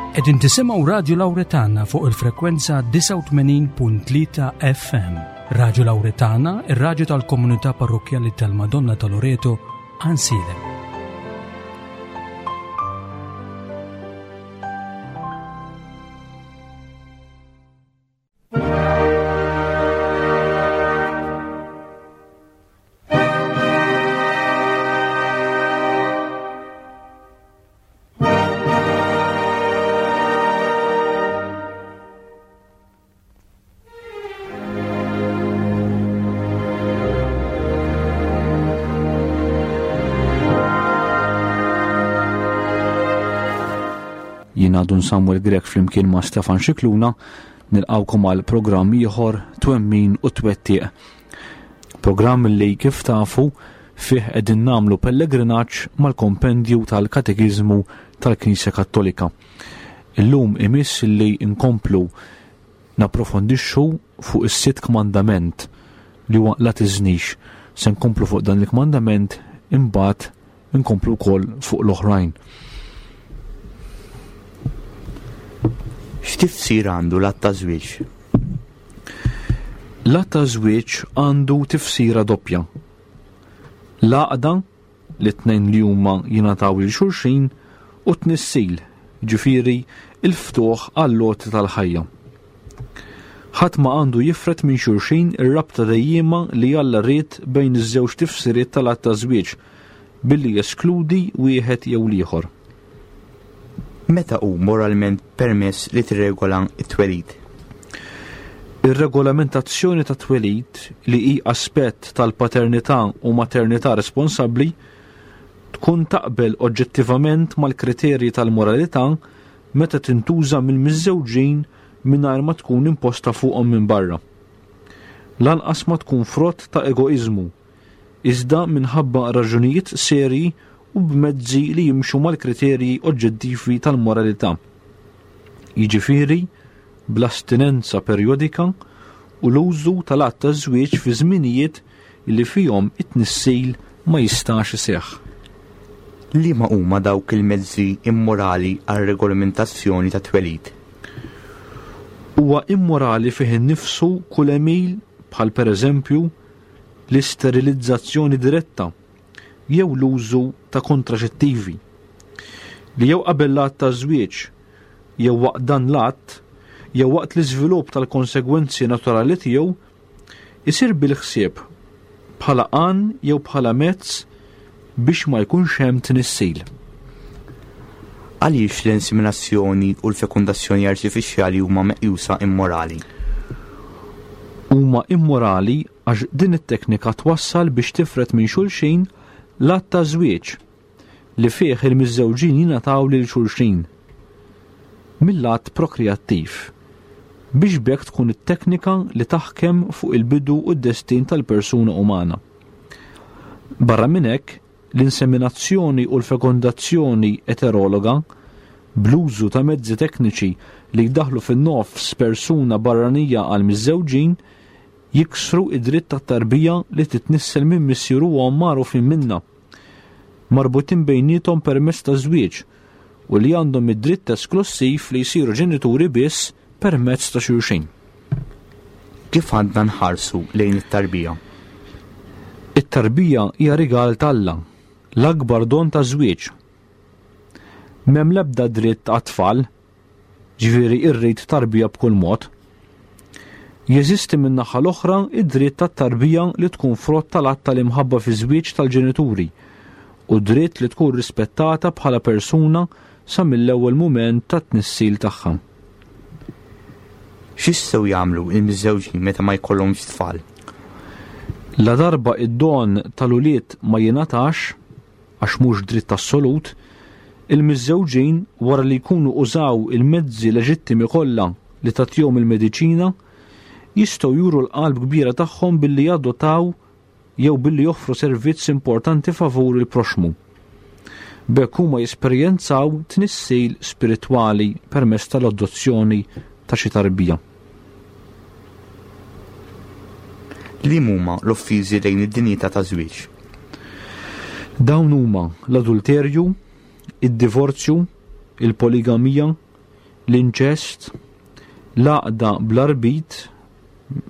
Qegħdin tisimgħu Radju Lawretana fuq il-frekwenza 89.3 FM. Radju Lawretana, ir-radju tal-komunità parrokkjali tal-Madonna ta' Loreto, Ansilem. Jiena Dun Samuel Grech flimkien ma' Stefan Xikluna nilqawkom għal programm ieħor Twemmin u Twettiq. Programm li kif tafu fih qegħdin nagħmlu pellegrinaġġ mal-kompendju tal-Katekiżmu tal-Knisja Kattolika. Illum imiss li nkomplu napprofondixxu fuq is-sitt kmandament li huwa la tiżnix. Se nkomplu fuq dan il-kmandament imbagħad nkomplu wkoll fuq l-oħrajn. X'tifsir għandu l-att ta' żwieġ? L-att ta' żwieġ għandu tifsira doppja. L-għaqda li t-tnejn li huma jingħataw lil xulxin u t-tnissil, jiġifieri l-ftuħ għall-għoti tal-ħajja. Ħadd ma għandu jifred minn xulxin ir-rabta dejjiema li Alla ried bejn iż-żewġ tifsiriet tal-att ta' żwieġ billi jeskludi wieħed jew l-ieħor. Meta hu moralment permess li tirregola t-twelid? Ir-regolamentazzjoni tat-twelid, li hi aspett tal-paternità u maternità responsabbli, tkun taqbel oġġettivament mal-kriterji tal-moralità meta tintuża mill-miżżewġin mingħajr ma tkun imposta fuqhom minn barra. Lanqas ma tkun frott ta' egoiżmu, iżda minħabba raġunijiet serji u b'mezzi li jimxu mal-kriterji oġġettivi tal-moralità. Jiġifieri, bl-astinenza perjodika u l-użu tal-att taż-żwieġ fi żminijiet li fihom it-tnissil ma jistax iseħħ. Liema huma dawk il-mezzi immorali għar-regolamentazzjoni tat-twelid? Huwa immorali fih innifsu kull għemil bħal pereżempju l-isterilizzazzjoni diretta jew l-użu ta' kontraċettivi, li jew qabel l-att taż-żwieġ jew waqt dan l-att jew waqt l-iżvilupp tal-konsegwenzi naturali tiegħu isir bil-ħsieb bħala għan jew bħala mezz biex ma jkunx hemm tnissil. Għaliex l-inseminazzjoni u l-fekundazzjoni artifiċjali huma meqjusa immorali? Huma immorali għax din it-teknika twassal biex tifred minn xulxin l-att ta' żwieġ li fih il-miżżewġin jingħataw lil xulxin mill-att prokreattiv biex b'hekk tkun it-teknika li taħkem fuq il-bidu u d-destin tal-persuna umana. Barra minn hekk, l-inseminazzjoni u l-fekondazzjoni eterologa, bl-użu ta' mezzi tekniċi li jdaħħlu fin-nofs persuna barranija għall-miżżewġin, jiksru id-dritt tat-tarbija li titnissel minn missier u omm magħrufin minnha, marbutin bejniethom permezz ta' żwieġ u li għandhom id-dritt esklussiv li jsiru ġenituri biss permezz ta' xulxin. Kif għandna nħarsu lejn it-tarbija? It-tarbija hija rigal t'Alla, l-akbar don taż-żwieġ. M'hemm l-ebda dritt għat-tfal, ġifieri irrid tarbija b'kull mod. Jeżisti min-naħa l-oħra id-dritt tat-tarbija li tkun frott tal-att tal-imħabba fiż-żwieġ tal-ġenituri u d-dritt li tkun rispettata bħala persuna sa mill-ewwel mument tat-tnissil tagħha. X'jistgħu jagħmlu l-miżżewġin meta ma jkollhomx tfal? Ladarba id-don tal-ulied ma jingħatax, għax mhux dritt assolut, il-miżżewġin wara li jkunu użaw il-mezzi leġittimi kollha li tagħtihom il-mediċina, jistgħu juru l-qalb kbira tagħhom billi jadottaw jew billi joffru servizz importanti favur il-proxxmu. B'hekk huma jesperjenzaw tnissil spiritwali permezz tal-adozzjoni ta' xi tarbija. Liem huma l-offiżi lejn id-dinjità taż-żwieġ? Dawn huma l-adulterju, id-divorzju, il-poligamija, l-inċest, l-għaqda bla rbit,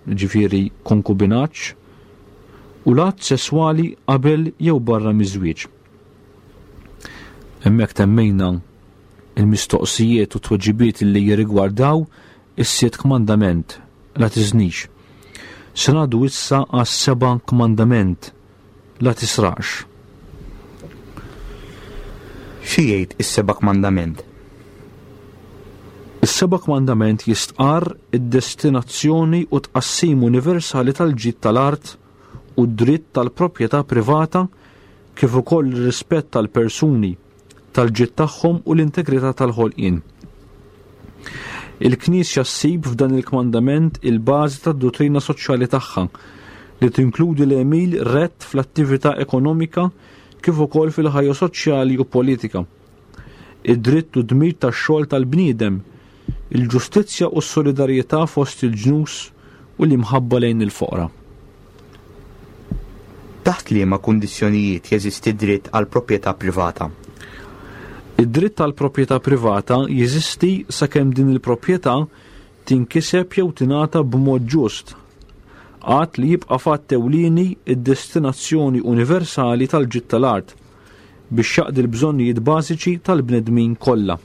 ġifieri konkubinaġġ, u l-att sesswali qabel jew barra miż-żwieġ. Hemmhekk temmejna il-mistoqsijiet u tweġibiet li jirrigwardaw is-sitt kmandament, la tiżnix. Se ngħaddu issa għas-seba' kmandament, la tisraqx. Xi jgħid is-seba' kmandament? Is-seba' kmandament jistqarr id-destinazzjoni u tqassim universali tal-ġid tal-art u d-dritt tal-proprjetà privata kif ukoll ir-rispett tal-persuni, tal-ġid tagħhom u l-integrità tal-ħolqien. Il-Knisja ssib f'dan il-kmandament il-bażi tad-duttrina soċjali tagħha li tinkludi l-għemil rett fl-attività ekonomika kif ukoll fil-ħajja soċjali u politika. Id-dritt u dmir tax-xogħol tal-bniedem, il-ġustizzja u s-solidarjetà fost il-ġnus u l-imħabba lejn il-foqra. Taħt liema kundizzjonijiet jeżisti dritt għal proprjetà privata? Id-dritt għal proprjetà privata jeżisti sakemm din il-proprjetà tinkiseb jew tingħata b'mod ġust, għad li jibqa' fatt ewlieni d-destinazzjoni universali tal-ġid tal-art biex jaqdi l-bżonnijiet bażiċi tal-bnedmin kollha.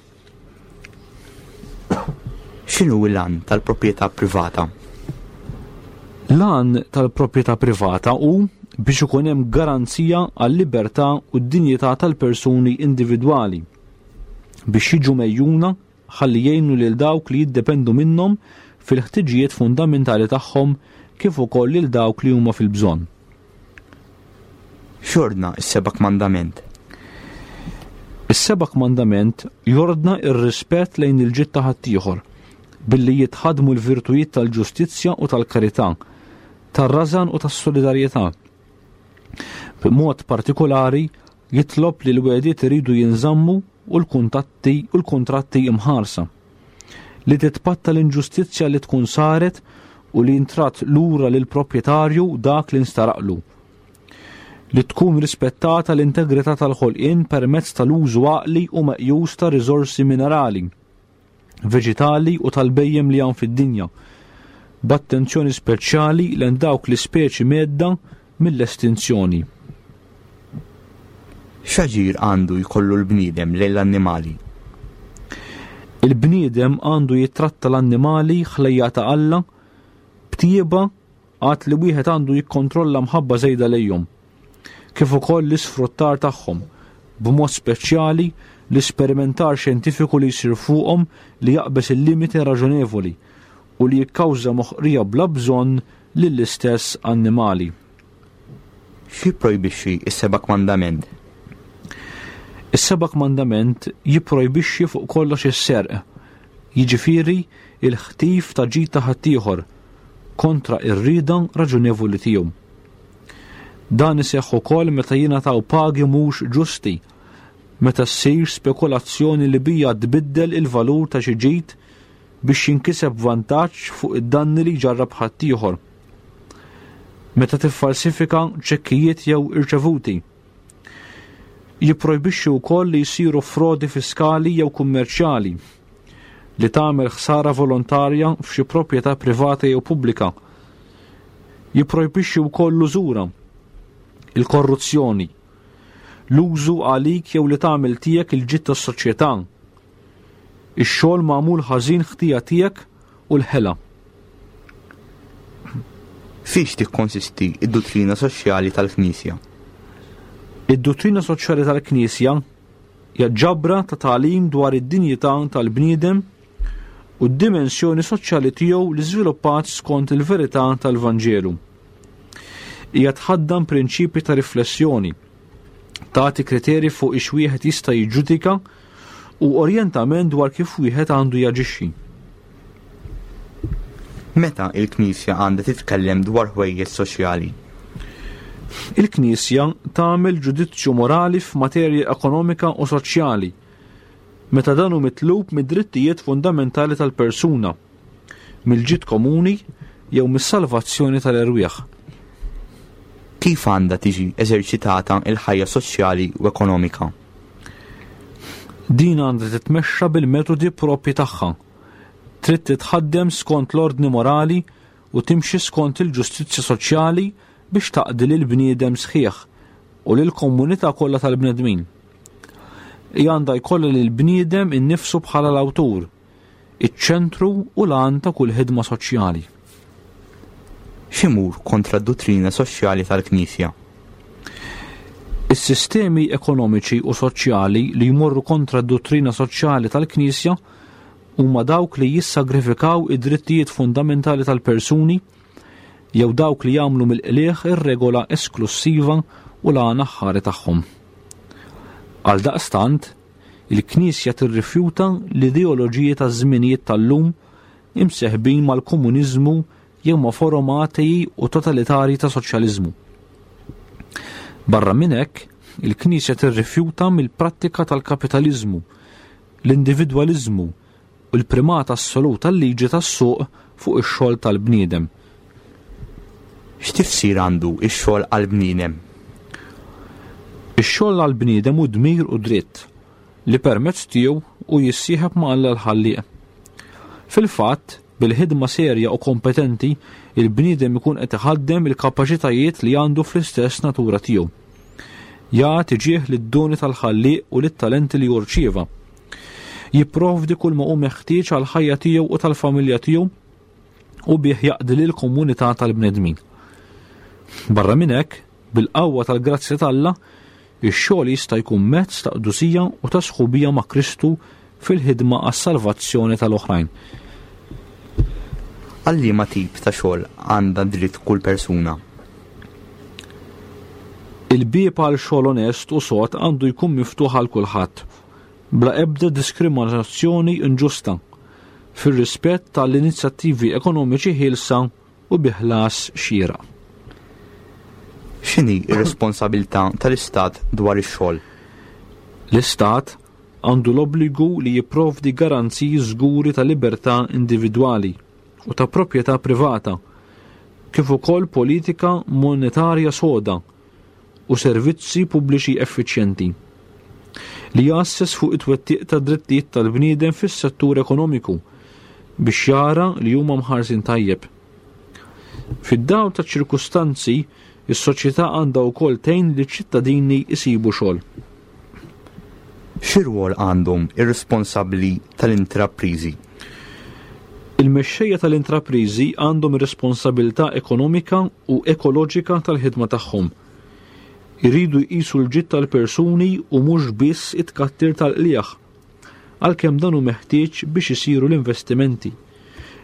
X'inhu l-għan tal-proprjetà privata? L-għan tal-proprjetà privata hu biex ikun hemm garanzija għal-libertà u d-dinjità tal-persuni individwali, biex jiġu megħjuna ħalli jgħinu lil dawk li jiddependu minnhom fil-ħtiġijiet fundamentali tagħhom kif ukoll lil dawk li huma fil-bżonn. X'jordna s-seba' kmandament? Is-seba' kmandament jordna r-rispett lejn il-ġid ta' ħaddieħor, billi jitħaddmu l-virtujiet tal-ġustizzja u tal-karità, tar-rażan u tas-solidarjetà. B'mod partikolari jitlob li l-wegħdiet iridu jinżammu u l-kuntatti u l-kuntratti imħarsa. Li titpatta l-inġustizzja li tkun saret u li jintradd lura lill-proprjetarju dak li nstaraqlu. Li tkun rispettata l-integrità tal-ħolqien permezz tal-użu għaqli u meqjus ta' riżorsi minerali, veġitali u tal-bhejjem li hawn fid-dinja, b'attenzjoni speċjali lejn dawk l-ispeċi mhedda mill-estinzjoni. X'aġir għandu jkollu l-bniedem lejn l-annimali? Il-bniedem għandu jittratta l-annimali ħlejja ta' Alla b'tjieba għad li wieħed għandu jikkontrolla mħabba żejda lejhom, kif ukoll l-isfruttar tagħhom, b'mod speċjali l-isperimentar xjentifiku li jsir fuqhom li jaqbeż il-limiti raġonevoli u li jikkawża moħqrija bla bżonn lill-istess annimali. X'jipprojbixxi s-seba' kmandament? Is-seba' kmandament jipprojbixxi fuq kollox is-serq, jiġifieri l-ħtif ta' ġid ta' ħaddieħor, kontra r-rieda raġunevoli tiegħu. Dan iseħħ ukoll meta jingħataw pagi mhux ġusti, meta ssir spekulazzjoni li bija tbiddel il-valur ta' xi ġid biex jinkiseb vantaġġ fuq id-danni li jġarrab ħaddieħor. Meta tiffalsifika ċekkijiet jew irċevuti. Jipprojbixxi wkoll li jsiru frodi fiskali jew kummerċjali li tagħmel ħsara volontarja f'xi proprjetà privata jew pubblika. Jipprojbixxi wkoll l-użura, il-korruzzjoni, l-użu għalik jew li tagħmel tiegħek il-ġid tas-soċjetà, ix-xogħol magħmul ħażin ħtija tiegħek u l-ħela. Fiex tikkonsisti id-duttrina soċjali tal-Knisja? Id-duttrina soċjali tal-Knisja hija ġabra ta' tagħlim dwar id-dinjità tal-bniedem u d-dimensjoni soċjali tiegħu li żviluppat skont il-verità tal-Vanġelu. Hija tħaddan prinċipji ta' riflessjoni, tagħti kriterji fuq ix wieħed jista' jiġġudika u orjentament dwar kif wieħed għandu jaġixxi. Meta il-Knisja għandha titkellem dwar ħwejjeġ soċjali? Il-Knisja tagħmel ġudizzju morali f'materja ekonomika u soċjali meta dan hu mitlub mid-drittijiet fundamentali tal-persuna, mill-ġid komuni jew mis-salvazzjoni tal-erwieħ. Kif għandha tiġi eżerċitata l-ħajja soċjali u ekonomika? Din għandha titmexxa bil-metodi proprji tagħha. Trid titħaddem skont l-ordni morali u timxi skont il-ġustizzja soċjali biex taqdi lill-bniedem sħiħ u lill-komunità kollha tal-bnedmin. Hi għandha jkollha lill-bniedem innifsu bħala l-awtur, iċ-ċentru u l-għan ta' kull ħidma soċjali. X'imur kontra d-duttrina soċjali tal-Knisja? Is-sistemi ekonomiċi u soċjali li jmorru kontra d-duttrina soċjali tal-Knisja huma dawk li jissagrifikaw id-drittijiet fundamentali tal-persuni jew dawk li jagħmlu mill-qligħ ir-regola esklussiva u l-għan aħħari tagħhom. Għaldaqstant, il-Knisja tirrifjuta l-ideoloġiji taż-żminijiet tal-lum imseħbin mal-komuniżmu jew ma' forom ateji u totalitarji ta' soċjaliżmu. Barra minn hekk, il-Knisja tirrifjuta mill-prattika tal-kapitaliżmu, l-individwaliżmu u l-primat assolut tal-liġi tas-suq fuq ix-xogħol tal-bniedem. X'tifsir għandu x-xogħol għall-bniedem? Ix-xogħol għall-bniedem hu dmir u dritt li permezz tiegħu hu jissieħeb ma' Alla l-Ħallieq. Fil-fatt, bil-ħidma serja u kompetenti, il-bniedem ikun qed iħaddem il-kapaċitajiet li għandu fl-istess natura tiegħu. Jagħti ġieħ lid-doni tal-Ħallieq u lit-talenti li hu rċieva. Jipprovdi kull ma hu meħtieġ għall-ħajja tiegħu u tal-familja tiegħu u bih jaqdi lill-komunità tal-bnedmin. Barra minn hekk, bil-qawwa tal-grazzja t'Alla, ix-xogħol jista' jkun mezz ta' qdusija u ta' sħubija ma' Kristu fil-ħidma għas-salvazzjoni tal-oħrajn. Għal liema tip ta' xogħol għandha dritt kull persuna? Il-bieb għal xogħol onest u sod għandu jkun miftuħ għal kulħadd, bla ebda diskriminazzjoni inġusta, fir-rispett tal-inizjattivi ekonomiċi ħielsa u bi ħlas xieraq. X'inhi r-responsabilità tal-Istat dwar ix-xogħol? L-Istat għandu l-obbligu li jipprovdi garanziji żguri ta' libertà individwali u ta' proprjetà privata, kif ukoll politika monetarja soda u servizzi pubbliċi effiċjenti, li jgħasses fuq it-twettiq tad-drittijiet tal-bniedem fis-settur ekonomiku biex jara li huma mħarsin tajjeb. Fid-dawl taċ-ċirkustanzi, is-soċjetà għandha wkoll tgħin liċ-ċittadini jsibu xogħol. Xi rwol għandhom ir-responsabbli tal-intrapriżi? Il-mexxejja tal-intrapriżi għandhom ir-responsabilità ekonomika u ekoloġika tal-ħidma tagħhom. Iridu jqisu l-ġid tal-persuni u mhux biss it-tkattir tal-qligħ, għalkemm dan hu meħtieġ biex isiru l-investimenti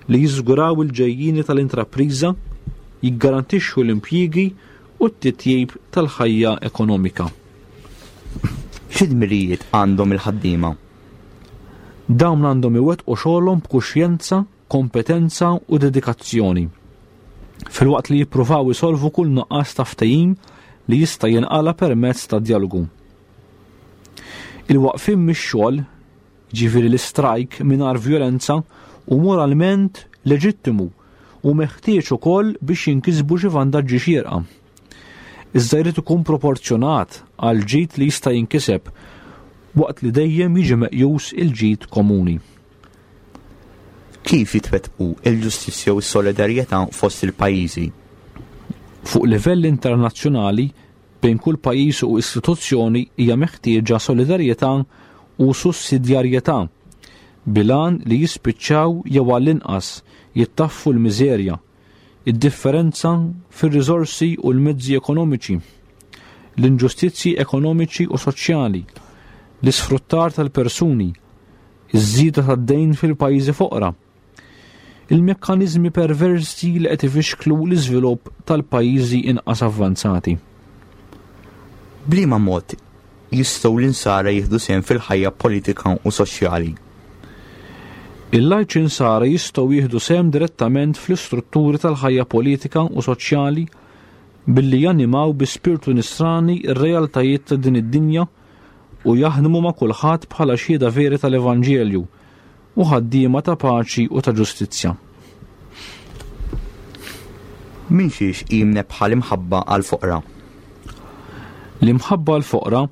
li jiżguraw il-ġejjieni tal-intrapriża, jiggarantixxu l-impjiegi u t-titjib tal-ħajja ekonomika. Xi dmirijiet għandhom il-ħaddiema? Dawn għandhom iwettqu xogħolhom b'kuxjenza, kompetenza u dedikazzjoni, filwaqt li jippruvaw isolvu kull nuqqas ta' ftehim li jista' jinqala' permezz ta' djalogu. Il-waqfien mix-xogħol, jiġifieri l-istrajk mingħajr vjolenza, hu moralment leġittimu u meħtieġ ukoll biex jinkisbu xi vantaġġi xierqa. Iżda jrid ikun proporzjonat għall-ġid li jista' jinkiseb waqt li dejjem jiġi meqjus il-ġid komuni. Kif jitwettqu l-ġustizzja u s-solidarjetà fost il-pajjiżi? Fuq livell internazzjonali, bejn kull pajjiż u istituzzjoni hija meħtieġa solidarjetà u sussidjarjetà bil-għan li jispiċċaw jew għall-inqas jittaffu l-miżerja, id-differenza fir-riżorsi u l-mezzi ekonomiċi, l-inġustizzji ekonomiċi u soċjali, l-isfruttar tal-persuni, iż-żieda tad-dejn fil-pajjiżi foqra, il-mekkaniżmi perversi li qed ifixklu l-iżvilupp tal-pajjiżi inqas avvanzati. B'liema mod jistgħu l-Insara jieħdu sehem fil-ħajja politika u soċjali? Il-lajċi Nsara jistgħu jieħdu sehem direttament fl-istrutturi tal-ħajja politika u soċjali billi janimaw bi spirtu nisrani r-realtajiet ta' din id-dinja u jaħdmu ma' kulħadd bħala xhieda veri tal-Evanġelju u ħaddiema ta' paċi u ta' ġustizzja. Minn xiex hi mnebbħa l-imħabba għall-foqra? L-imħabba għall-foqra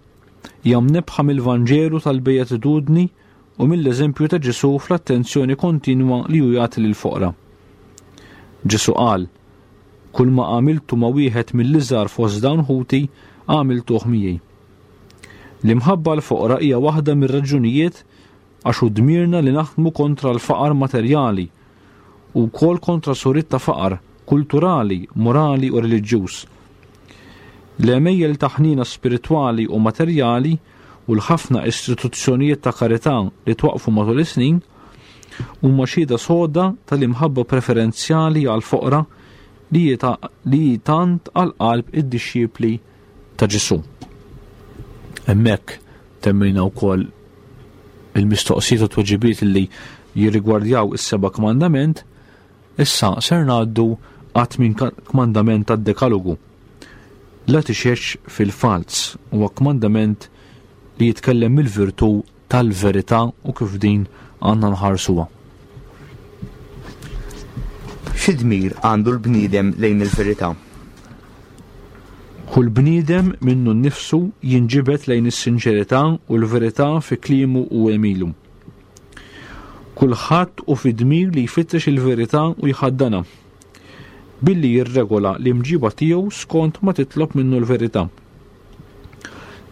hija mnebbħa mill-Vanġelu tal-Beatitudni u mill-eżempju ta' Ġesù fl-attenzjoni kontinwa li hu jagħti lill-foqra. Ġesù qal, Kull ma għamiltu ma' wieħed mill-iżgħar fost dawn ħuti, għamiltuh miegħi. L-imħabba għall-foqra hija waħda mir-raġunijiet għax hu dmirna li naħdmu kontra l-faqar materjali u wkoll kontra suriet ta' faqar kulturali, morali u reliġjuż. L-għemejjel ta' ħniena spiritwali u materjali u l-ħafna istituzzjonijiet ta' karità li twaqqfu matul is-snin huma xhieda soda tal-imħabba preferenzjali għall-foqra li hi tant għal qalb id-dixxipli ta' Ġesù. Hemmhekk temmejna wkoll il-mistoqsijiet u tweġibiet li jirrigwardjaw is-seba' kmandament, issa ser ngħaddu għat-tmien kmandament tad-Dekalogu. La tixhedx fil-falz huwa kmandament li jitkellem mill-virtù tal-verità u kif din għandna nħarsuha. Xi dmir għandu l-bniedem lejn il-verità? Kull bniedem minnu nnifsu jinġibed lejn is-sinċerità u l-verità fi kliemu u għemilu. Kulħadd hu fi dmir li jfittex il-verità u jħaddanha, billi jirregola l-imġiba tiegħu skont ma titlob minnu l-verità.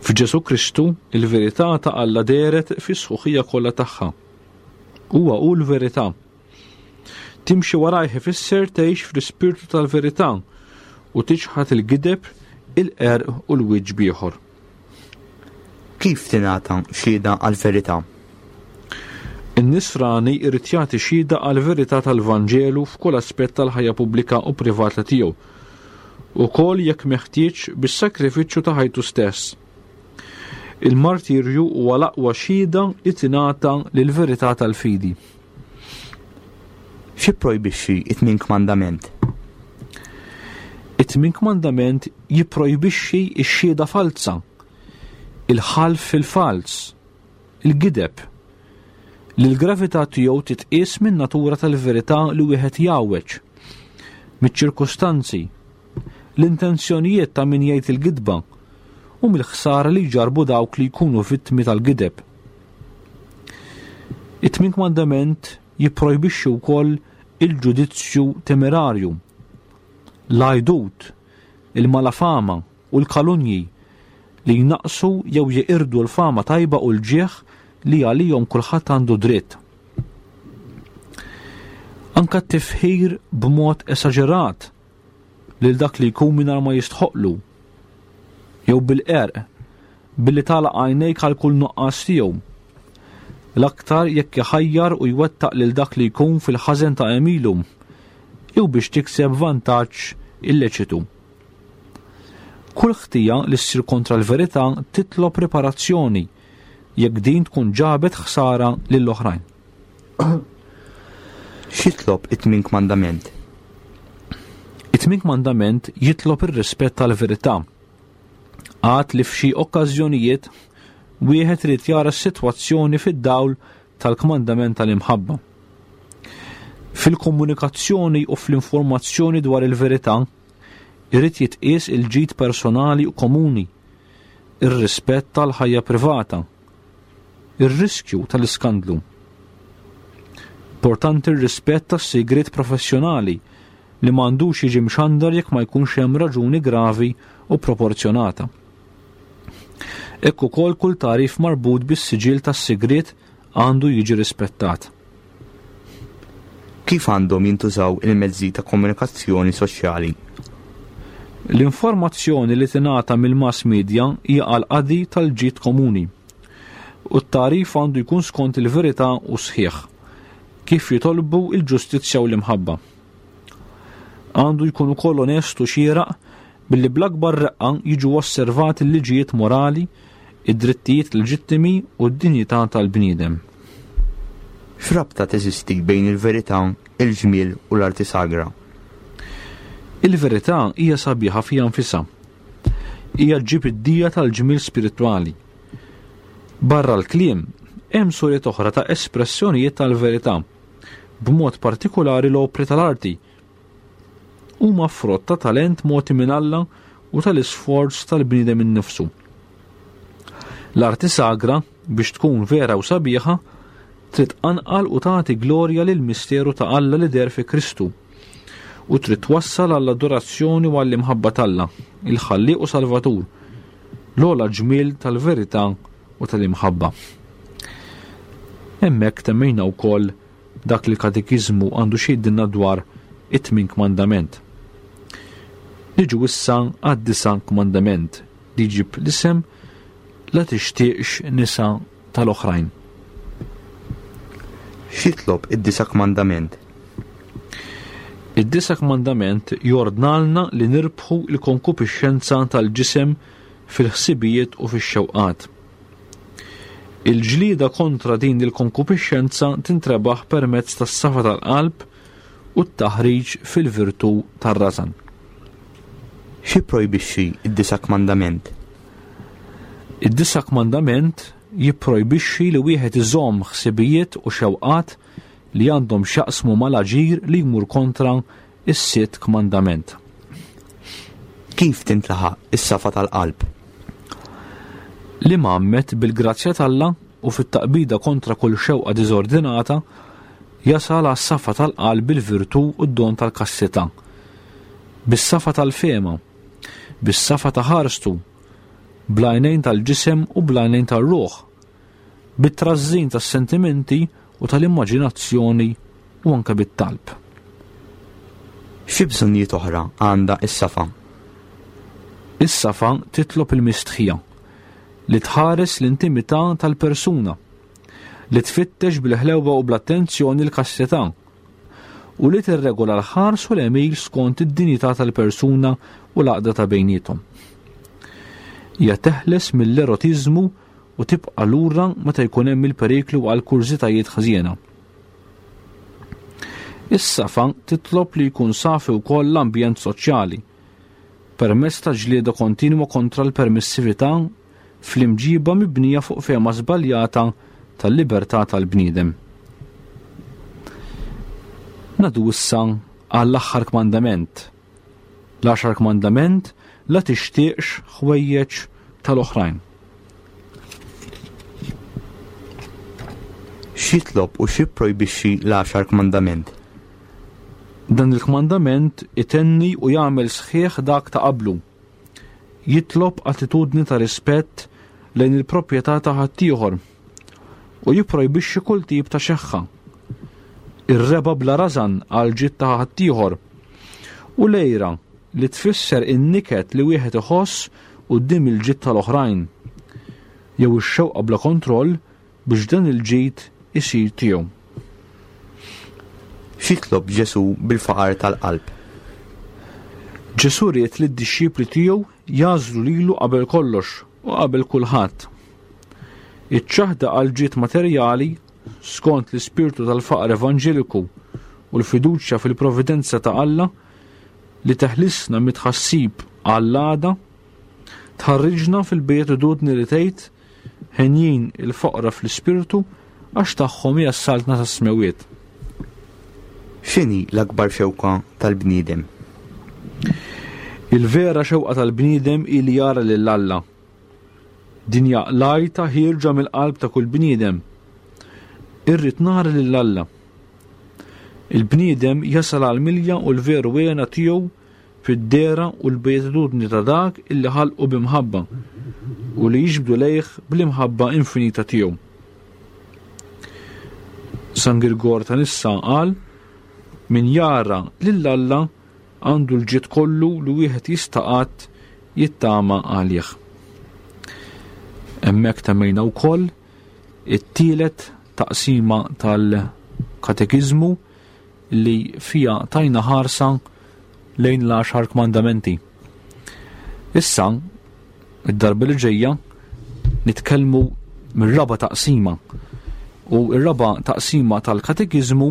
F'Ġesù Kristu, il-verità ta' Alla dehret fis-sħuħija kollha tagħha. Huwa hu l-verità. Timxi warajh ifisser tgħix fl-ispirtu tal-verità u tiċħad il-gideb, il-qerq u l-wiċċ b'ieħor. Kif tingħata xhieda għall-verità? In-Nisrani jrid jagħti xhieda għall-verità tal-Vanġelu f'kull aspett tal-ħajja pubblika u privata tiegħu, ukoll jekk meħtieġ bis-sagrifiċċju ta' ħajtu stess. Il-martirju huwa l-aqwa xhieda li tingħata lill-verità tal-fidi. X'jipprojbixxi t-tmien kmandament? It-tmien kmandament jipprojbixxi x-xhieda falza, il-ħalf fil-falz, il-gideb, li l-gravità tiegħu titqies min-natura tal-verità li wieħed jgħawweġ, miċ-ċirkustanzi, l-intenzjonijiet ta' min jgħid il-gidba u mill-ħsara li jġarrbu dawk li jkunu vittmi tal-gideb. It-tmien kmandament jipprojbixxi wkoll il-ġudizzju temerarju, l-għajdut, il-malafama u l-kalunji li jnaqqsu jew jeqirdu l-fama tajba u l-ġieħ li għalihom kulħadd għandu dritt. Anka t-tifħir b'mod esaġerat lil dak li jkun mingħajr ma jistħoqqlu, jew bil-qerq, billi tagħlaq għajnejk għal kull nuqqas tiegħu. L-aktar jekk iħajjar u jwettaq lil dak li jkun fil-ħażen ta' għemilu, jew biex tikseb vantaġġ illeċitu. Kull ħtija li ssir kontra l-verità titlob riparazzjoni jekk din tkun ġabet ħsara lil oħrajn. X'jitlob it-tmien kmandament? It-tmien kmandament jitlob ir-rispett tal-verità. Għad li f'xi okkażjonijiet wieħed irid jara s-sitwazzjoni fid-dawl tal-kmandament tal-imħabba. Fil-komunikazzjoni u fl-informazzjoni dwar il-verità, irid jitqies il-ġid personali u komuni, ir-rispett tal-ħajja privata, ir-riskju tal-iskandlu. Importanti r-rispett tas-sigriet professjonali li m'għandux jiġi mxandar jekk ma jkunx hemm raġuni gravi u proporzjonata. Hekk ukoll kull tagħrif marbut bis-siġill tas-sigriet għandu jiġi rispettat. Kif għandhom jintużaw il-mezzi ta' komunikazzjoni soċjali? L-informazzjoni li tingħata mill-mass media hija għall-qadi tal-ġid komuni u t-tagħrif għandu jkun skont il-verità u sħiħ, kif jitolbu l-ġustizzja u l-imħabba. Għandu jkun ukoll onest u xieraq billi bl-akbar reqqa jiġu osservati l-liġijiet morali, id-drittijiet leġittimi u d-dinjità tal-bniedem. X'rabta teżisti bejn il-verità, il-ġmiel u l-arti sagra? Il-verità hija sabiħa fiha nfisha. Hija ġġib id-dija tal-ġmiel spiritwali. Barra l-kliem, hemm suriet oħra ta' espressjonijiet tal-verità, b'mod partikulari l-opri tal-arti, huma frott ta' talent mogħti minn Alla u tal-isforz tal-bniedem innifsu. L-arti sagra, biex tkun vera u sabiħa, Trid tqanqal u tagħti glorja lill-misteru ta' Alla li deher fi Kristu u trid twassal għall-adorazzjoni u għall-imħabba t'Alla, il-Ħallieq u Salvatur, l-ogħla ġmiel tal-verità u tal-imħabba. Hemmhekk temmejna wkoll dak li l-Katekiżmu għandu xi jgħidilna dwar it-tmien kmandament. Niġu issa għad-disa' kmandament li jġib l-isem la tixtieqx nisa tal-oħrajn. X'jitlob id-disa' kmandament? Id-disa' kmandament jordnalna li nirbħu l-konkupixxenza tal-ġisem fil-ħsibijiet u fix-xewqat. Il-ġlieda kontra din il-konkupixxenza tintrebaħ permezz tas-safa tal-qalb u t-taħriġ fil-virtù tar-rażan. X'jipprojbixxi d-disa' kmandament? Id-disa' kmandament jipprojbixxi li wieħed iżomm ħsibijiet u xewqat li għandhom x'jaqsmu mal-aġir li jmur kontra s-sitt kmandament. Kif tintlaħaq is-safa tal-qalb? L-imgħammed bil-grazzja t'Alla u fit-taqbida kontra kull xewqa diżordinata jasal għas-safa tal-qalb bil-virtù u d-don tal-kastità, bis-safa tal-fehma, bis-safa ta' ħarstu, bl-għajnejn tal-ġisem u bl-għajnejn tar-ruħ, bit-trażżin tas-sentimenti u tal-immaġinazzjoni u anke bit-talb. Xi bżonnijiet oħra għandha s-safa? Is-safa titlob il-mistħija, li tħares l-intimità tal-persuna, li tfittex bil-ħlewwa u bl-attenzjoni l-kastità, u li tirregola l-ħars u l-għemil skont id-dinjità tal-persuna u l-għaqda ta' bejniethom. Hija teħles mill-erotiżmu u tibqa' lura meta jkun hemm il-periklu għal kurżitajiet ħżiena. Is-safa titlob li jkun safi wkoll l-ambjent soċjali, permezz ta' ġlieda kontinwa kontra l-permissività fl-imġiba mibnija fuq fehma żbaljata tal-libertà tal-bniedem. Nadu issa għall-aħħar kmandament, L-għaxar kmandament, la tixtieqx ħwejjeġ tal-oħrajn. X'jitlob u x'jipprojbixxi l-għaxar kmandament? Dan il-kmandament itenni u jagħmel sħiħ dak ta' qablu. Jitlob attitudni ta' rispett lejn il-proprjetà ta' ħaddieħor u jipprojbixxi kull tip ta' xeħħa. Ir-reba bla rażan għal ġid ta' ħaddieħor u l-għira li tfisser in-niket li wieħed iħoss quddiem il-ġid tal-oħrajn jew ix-xewqa bla kontroll biex dan il-ġid isir tiegħu. X'jitlob Ġesù bil-faqar tal-qalb? Ġesù ried li d-dixxipli tiegħu jagħżlu lilu qabel kollox u qabel kulħadd. Iċ-ċaħda għal ġid materjali skont l-ispirtu tal-faqar evanġeliku u l-fiduċja fil-providenza ta' Alla li teħlisna mit-tħassib għall-għada, tħarriġna fil-beatitudni li tgħid Henjin il-foqra fl-ispirtu għax tagħhom hija s-saltna tas-smewwiet. X'inhi l-akbar xewqa tal-bniedem? Il-vera xewqa tal-bniedem hi li jara lil Alla. Din hija l-għajta ħierġa mill-qalb ta' kull bniedem. Irrid nara lil Alla. Il-bniedem jasal għall-milja u l-veru hena tiegħu fid-dehra u l-beatitudni ta' dak illi ħalqu bi mħabba u li jiġbdu lejh bl-imħabba infinita tiegħu. San Girgor ta' Nissa qal min jara lil Alla għandu l-ġid kollu li wieħed jista' qatt jittama għalih. Hemmhekk temmejna wkoll it-tielet taqsima tal-katekiżmu li fiha tajna ħarsa lejn l-għaxar kmandamenti. Issa, id-darba li ġejja, nitkellmu mir-raba taqsima. U r-raba taqsima tal-katekiżmu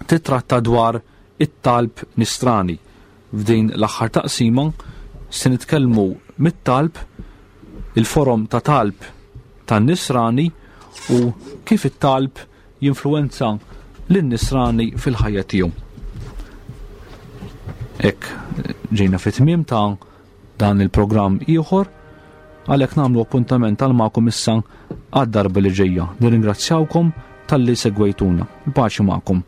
titratta dwar it-talb nistrani. F'din l-aħħar taqsima se nitkellmu mit-talb, il-forom ta' talb tan-nisrani u kif it-talb jinfluwenza lin-nisrani fil-ħajja tiegħu. Hekk ġejna fit-tmiem ta' dan il-programm ieħor għalhekk nagħmlu appuntament għal magħkom issa għad-darba li ġejja. Nirringrazzjawkom talli segwejtuna. Il-paċi magħkom.